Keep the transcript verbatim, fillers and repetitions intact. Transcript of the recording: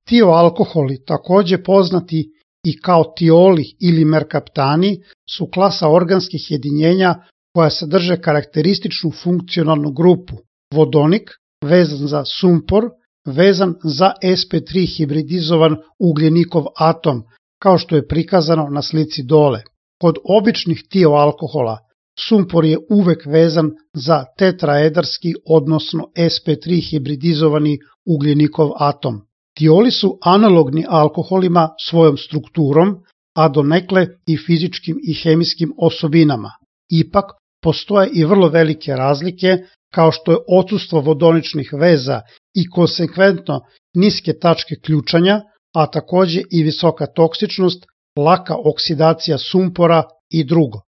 Tioalkoholi, takođe poznati i kao tioli ili merkaptani, su klasa organskih jedinjenja koja sadrže karakterističnu funkcionalnu grupu vodonik, vezan za sumpor, vezan za es pe tri hibridizovan ugljenikov atom, kao što je prikazano na slici dole. Kod običnih tioalkohola sumpor je uvek vezan za tetraedarski, odnosno es pe tri hibridizovani ugljenikov atom. Tioli su analogni alkoholima svojom strukturom, a donekle i fizičkim i hemijskim osobinama. Ipak, postoje i vrlo velike razlike, kao što je odsustvo vodoničnih veza i konsekventno niske tačke ključanja, a takođe i visoka toksičnost, laka oksidacija sumpora i drugo.